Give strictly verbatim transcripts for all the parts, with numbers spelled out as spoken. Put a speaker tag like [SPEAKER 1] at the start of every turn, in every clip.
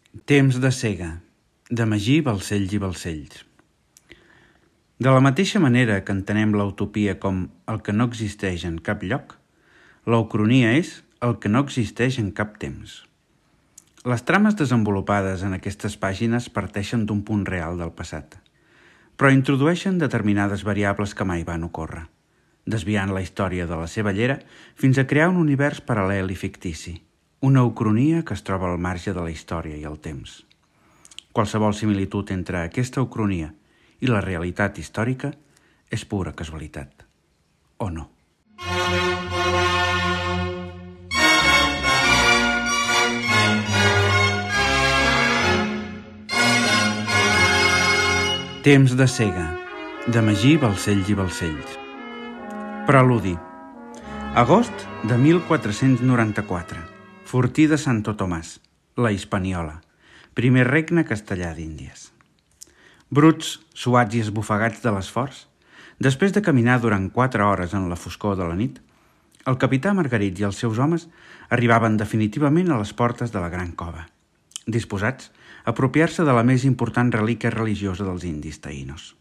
[SPEAKER 1] Temps de cega, de Magí Balcells i Balcells. De la mateixa manera que entenem la utopia com el que no existeix en cap lloc, la ucronia és el que no existeix en cap temps. Les trames desenvolupades en aquestes pàgines parteixen d'un punt real del passat, però introdueixen determinades variables que mai van ocórrer, desviant la història de la seva llera fins a crear un univers paral·lel i fictici, una ucronia que es troba al marge de la història i el temps. Qualsevol similitud entre aquesta ucronia i la realitat històrica és pura casualitat, o no? Temps de cega, de Magí Balcells i Balcells. Preludi. Agost de mil quatre-cents noranta-quatre. Fortí de Santo Tomàs, la Hispaniola, primer regne castellà d'Índies. Bruts, suats i esbufegats de l'esforç, després de caminar durant quatre hores en la foscor de la nit, el capità Margarit i els seus homes arribaven definitivament a les portes de la gran cova, disposats a apropiar-se de la més important relíquia religiosa dels indis taïnos.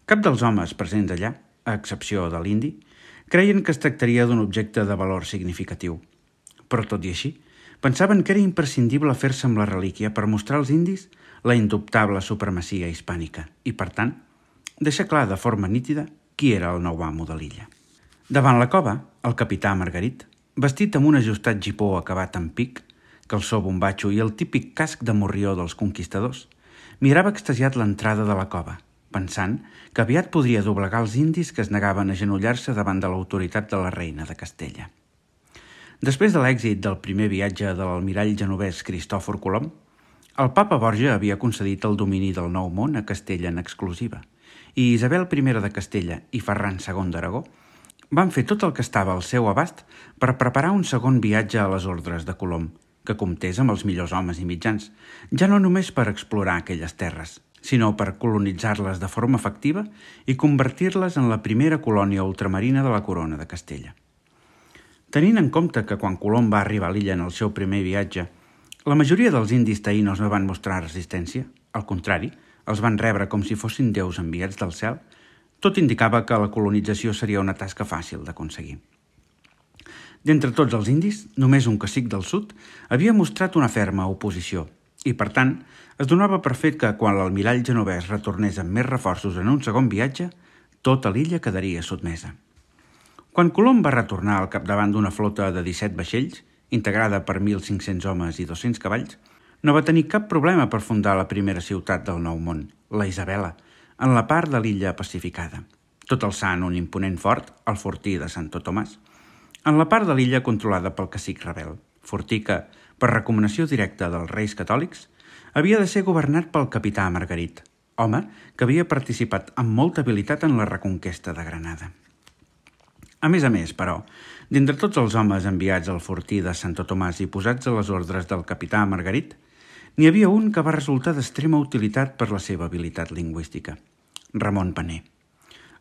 [SPEAKER 1] Cap dels homes presents allà, a excepció de l'indi, creien que es tractaria d'un objecte de valor significatiu, però tot i així, pensaven que era imprescindible fer-se amb la relíquia per mostrar als indis la indubtable supremacia hispànica i, per tant, deixar clar de forma nítida qui era el nou amo de l'illa. Davant la cova, el capità Margarit, vestit amb un ajustat gipó acabat en pic, calçó bombatxo i el típic casc de morrió dels conquistadors, mirava extasiat l'entrada de la cova, pensant que aviat podria doblegar els indis que es negaven a agenollar-se davant de l'autoritat de la reina de Castella. Després de l'èxit del primer viatge de l'almirall genovès Cristòfor Colom, el papa Borja havia concedit el domini del Nou Món a Castella en exclusiva, i Isabel primera de Castella i Ferran segon d'Aragó van fer tot el que estava al seu abast per preparar un segon viatge a les ordres de Colom, que comptés amb els millors homes i mitjans, ja no només per explorar aquelles terres, sinó per colonitzar-les de forma efectiva i convertir-les en la primera colònia ultramarina de la corona de Castella. Tenint en compte que quan Colom va arribar a l'illa en el seu primer viatge, la majoria dels indis taïnos no van mostrar resistència, al contrari, els van rebre com si fossin déus enviats del cel, tot indicava que la colonització seria una tasca fàcil d'aconseguir. D'entre tots els indis, només un cacic del sud havia mostrat una ferma oposició i, per tant, es donava per fet que quan l'almirall genovès retornés amb més reforços en un segon viatge, tota l'illa quedaria sotmesa. Quan Colom va retornar al capdavant d'una flota de disset vaixells, integrada per mil cinc-cents homes i dos-cents cavalls, no va tenir cap problema per fundar la primera ciutat del Nou Món, la Isabela, en la part de l'illa pacificada, tot alçant un imponent fort, el fortí de Santo Tomàs, en la part de l'illa controlada pel cacic rebel, fortí que, per recomanació directa dels reis catòlics, havia de ser governat pel capità Margarit, home que havia participat amb molta habilitat en la reconquesta de Granada. A més a més, però, d'entre tots els homes enviats al fortí de Santo Tomàs i posats a les ordres del capità Margarit, n'hi havia un que va resultar d'extrema utilitat per la seva habilitat lingüística, Ramon Paner.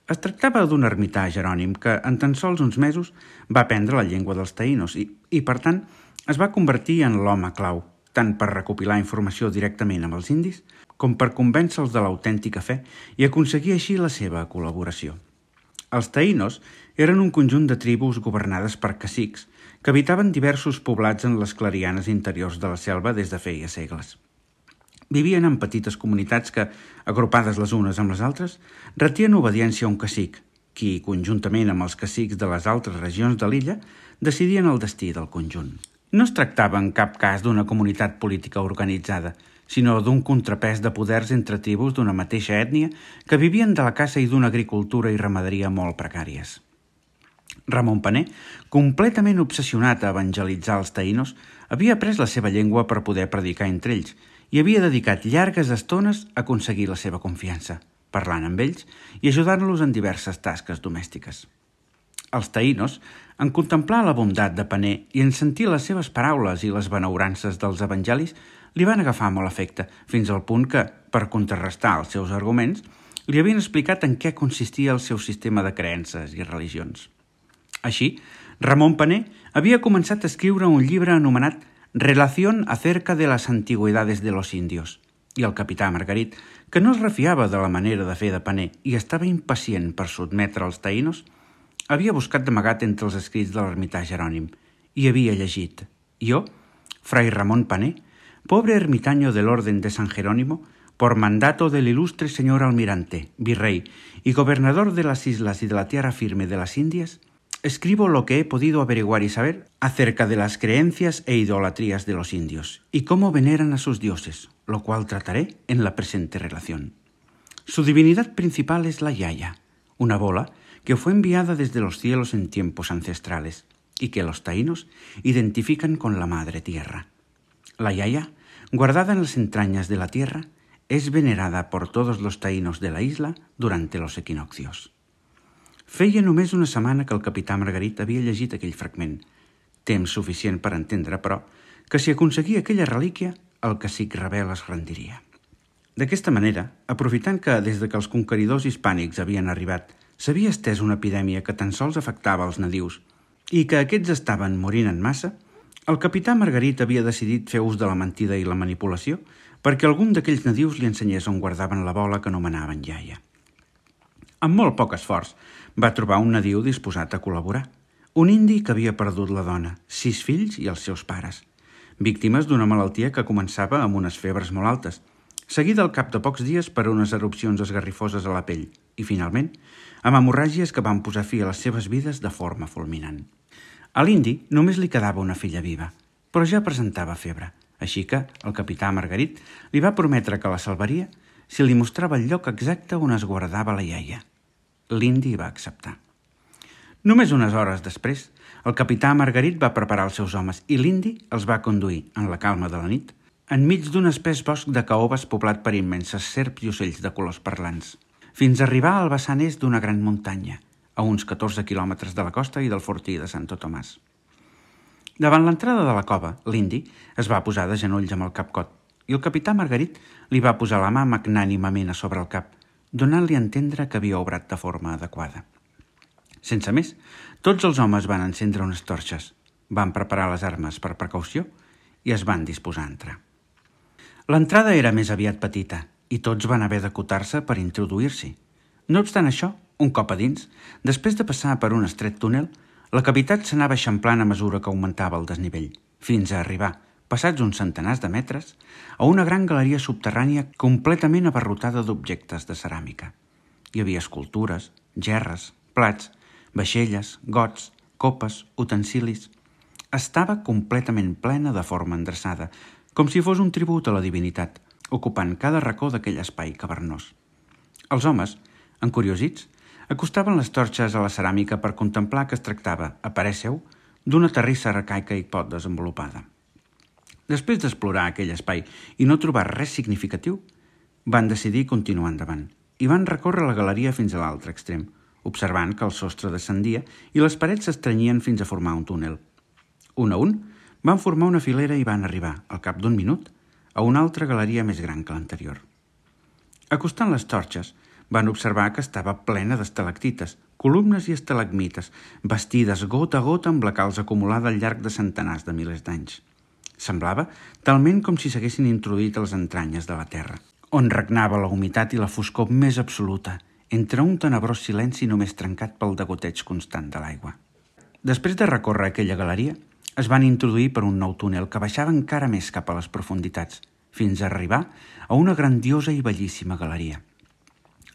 [SPEAKER 1] Es tractava d'un ermità jerònim que, en tan sols uns mesos, va aprendre la llengua dels taïnos i, i, per tant, es va convertir en l'home clau, tant per recopilar informació directament amb els indis, com per convèncer-los de l'autèntica fe i aconseguir així la seva col·laboració. Els taïnos eren un conjunt de tribus governades per cacics que habitaven diversos poblats en les clarianes interiors de la selva des de feia segles. Vivien en petites comunitats que, agrupades les unes amb les altres, retien obediència a un cacic, qui, conjuntament amb els cacics de les altres regions de l'illa, decidien el destí del conjunt. No es tractava en cap cas d'una comunitat política organitzada, sinó d'un contrapès de poders entre tribus d'una mateixa ètnia que vivien de la caça i d'una agricultura i ramaderia molt precàries. Ramon Paner, completament obsessionat a evangelitzar els taïnos, havia après la seva llengua per poder predicar entre ells i havia dedicat llargues estones a aconseguir la seva confiança, parlant amb ells i ajudant-los en diverses tasques domèstiques. Els taïnos, en contemplar la bondat de Paner i en sentir les seves paraules i les benaurances dels evangelis, li van agafar molt afecte, fins al punt que, per contrarrestar els seus arguments, li havien explicat en què consistia el seu sistema de creences i religions. Així, Ramon Paner havia començat a escriure un llibre anomenat Relación acerca de las antigüedades de los indios. I el capità Margarit, que no es refiava de la manera de fer de paner i estava impacient per sotmetre els taïnos, havia buscat d'amagat entre els escrits de l'ermità Jerònim i havia llegit: «Yo, Fray Ramón Pané, pobre ermitaño del orden de San Jerónimo, por mandato del ilustre señor almirante, virrey y gobernador de las islas y de la tierra firme de las Indias, escribo lo que he podido averiguar y saber acerca de las creencias e idolatrías de los indios y cómo veneran a sus dioses, lo cual trataré en la presente relación. Su divinidad principal es la Yaya, una bola que fue enviada desde los cielos en tiempos ancestrales y que los taínos identifican con la madre tierra. La Yaya, guardada en las entrañas de la tierra, es venerada por todos los taïnos de la isla durante los equinoccios». Feia només una setmana que el capità Margarit havia llegit aquell fragment, temps suficient per entendre, però, que si aconseguia aquella relíquia, el cacic rebel es rendiria. D'aquesta manera, aprofitant que des de que els conqueridors hispànics havien arribat s'havia estès una epidèmia que tan sols afectava els nadius i que aquests estaven morint en massa, el capità Margarit havia decidit fer ús de la mentida i la manipulació perquè algun d'aquells nadius li ensenyés on guardaven la bola que anomenaven iaia. Amb molt poc esforç, va trobar un nadiu disposat a col·laborar, un indi que havia perdut la dona, sis fills i els seus pares, víctimes d'una malaltia que començava amb unes febres molt altes, seguida al cap de pocs dies per unes erupcions esgarrifoses a la pell i, finalment, amb hemorràgies que van posar fi a les seves vides de forma fulminant. A l'indi només li quedava una filla viva, però ja presentava febre, així que el capità Margarit li va prometre que la salvaria si li mostrava el lloc exacte on es guardava la iaia. L'indi va acceptar. Només unes hores després, el capità Margarit va preparar els seus homes i l'indi els va conduir, en la calma de la nit, enmig d'un espès bosc de caoves poblat per immenses serps i ocells de colors parlants, fins a arribar al vessant est d'una gran muntanya, a uns catorze quilòmetres de la costa i del fortí de Santo Tomàs. Davant l'entrada de la cova, l'indi es va posar de genolls amb el cap cot i el capità Margarit li va posar la mà magnànimament a sobre el cap, donant-li a entendre que havia obrat de forma adequada. Sense més, tots els homes van encendre unes torxes, van preparar les armes per precaució i es van disposar a entrar. L'entrada era més aviat petita i tots van haver d'acotar-se per introduir-s'hi. No obstant això, un cop a dins, després de passar per un estret túnel, la cavitat s'anava eixamplant a mesura que augmentava el desnivell, fins a arribar, passats uns centenars de metres, a una gran galeria subterrània completament abarrotada d'objectes de ceràmica. Hi havia escultures, gerres, plats, vaixelles, gots, copes, utensilis. Estava completament plena de forma endreçada, com si fos un tribut a la divinitat, ocupant cada racó d'aquell espai cavernós. Els homes, encuriosits, acostaven les torxes a la ceràmica per contemplar que es tractava, a parer seu, d'una terrissa arcaica i poc desenvolupada. Després d'explorar aquell espai i no trobar res significatiu, van decidir continuar endavant i van recórrer la galeria fins a l'altre extrem, observant que el sostre descendia i les parets s'estrenyien fins a formar un túnel. Un a un, van formar una filera i van arribar, al cap d'un minut, a una altra galeria més gran que l'anterior. Acostant les torxes, van observar que estava plena d'estalactites, columnes i estalagmites, bastides gota a gota amb la calç acumulada al llarg de centenars de milers d'anys. Semblava talment com si s'haguessin introduït a les entranyes de la terra, on regnava la humitat i la foscor més absoluta, entre un tenebrós silenci només trencat pel degoteig constant de l'aigua. Després de recórrer aquella galeria, es van introduir per un nou túnel que baixava encara més cap a les profunditats, fins a arribar a una grandiosa i bellíssima galeria.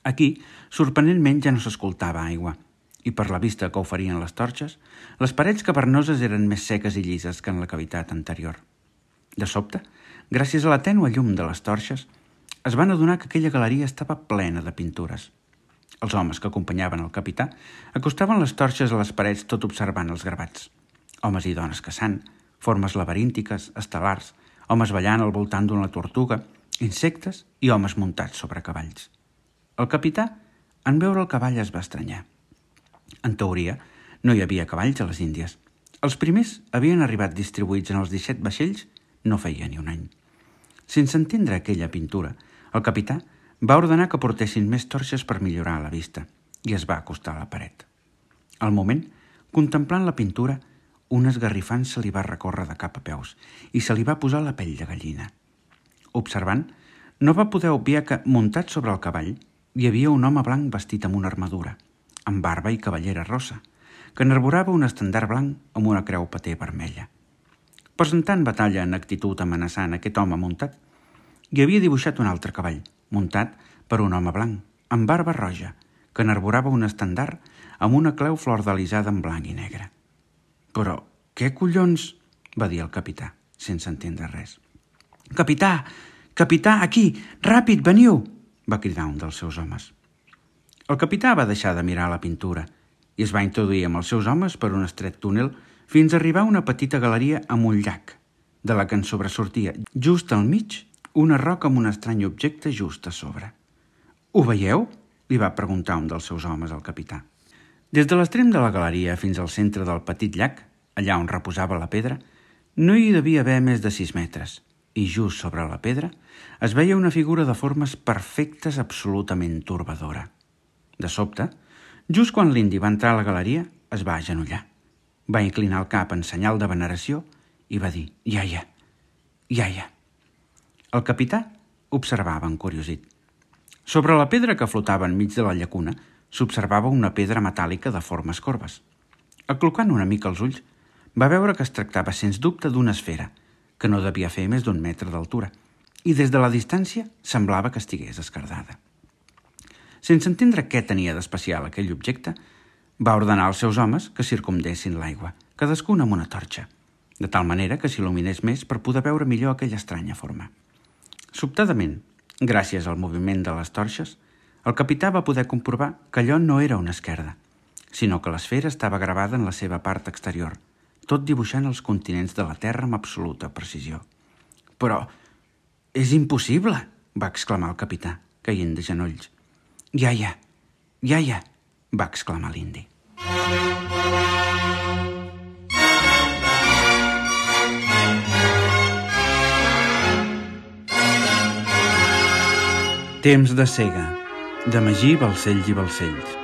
[SPEAKER 1] Aquí, sorprenentment, ja no s'escoltava aigua, i per la vista que oferien les torxes, les parets cavernoses eren més seques i llises que en la cavitat anterior. De sobte, gràcies a la tènue llum de les torxes, es van adonar que aquella galeria estava plena de pintures. Els homes que acompanyaven el capità acostaven les torxes a les parets tot observant els gravats. Homes i dones caçant, formes laberíntiques, estel·lars, homes ballant al voltant d'una tortuga, insectes i homes muntats sobre cavalls. El capità, en veure el cavall, es va estranyar. En teoria, no hi havia cavalls a les Índies. Els primers havien arribat distribuïts en els disset vaixells no feia ni un any. Sense entendre aquella pintura, el capità va ordenar que portessin més torxes per millorar la vista i es va acostar a la paret. Al moment, contemplant la pintura, un esgarrifant se li va recórrer de cap a peus i se li va posar la pell de gallina. Observant, no va poder obviar que, muntat sobre el cavall, hi havia un home blanc vestit amb una armadura, amb barba i cabellera rossa, que n'arborava un estendard blanc amb una creu paté vermella. Presentant batalla en actitud amenaçant aquest home muntat, hi havia dibuixat un altre cavall, muntat per un home blanc, amb barba roja, que n'arborava un estendard amb una clau flordalisada en blanc i negre. «Però què collons?» va dir el capità, sense entendre res. «Capità! Capità, aquí! Ràpid, veniu!» va cridar un dels seus homes. El capità va deixar de mirar la pintura i es va introduir amb els seus homes per un estret túnel fins a arribar a una petita galeria amb un llac, de la que en sobresortia just al mig una roca amb un estrany objecte just a sobre. «Ho veieu?» li va preguntar un dels seus homes al capità. Des de l'extrem de la galeria fins al centre del petit llac, allà on reposava la pedra, no hi devia haver més de sis metres, i just sobre la pedra es veia una figura de formes perfectes absolutament torbadora. De sobte, just quan l'indi va entrar a la galeria, es va agenollar. Va inclinar el cap en senyal de veneració i va dir «Iaia, iaia». El capità observava encuriosit. Sobre la pedra que flotava enmig de la llacuna s'observava una pedra metàl·lica de formes corbes. Aclocant una mica els ulls, va veure que es tractava sens dubte d'una esfera, que no devia fer més d'un metre d'altura, i des de la distància semblava que estigués esquerdada. Sense entendre què tenia d'especial aquell objecte, va ordenar als seus homes que circumdessin l'aigua, cadascun amb una torxa, de tal manera que s'il·luminés més per poder veure millor aquella estranya forma. Sobtadament, gràcies al moviment de les torxes, el capità va poder comprovar que allò no era una esquerda, sinó que l'esfera estava gravada en la seva part exterior, tot dibuixant els continents de la Terra amb absoluta precisió. «Però és impossible!» va exclamar el capità, caient de genolls. «Iaia, iaia!» va exclamar l'indi. Temps de cega, de Magí Balcells i Balcells.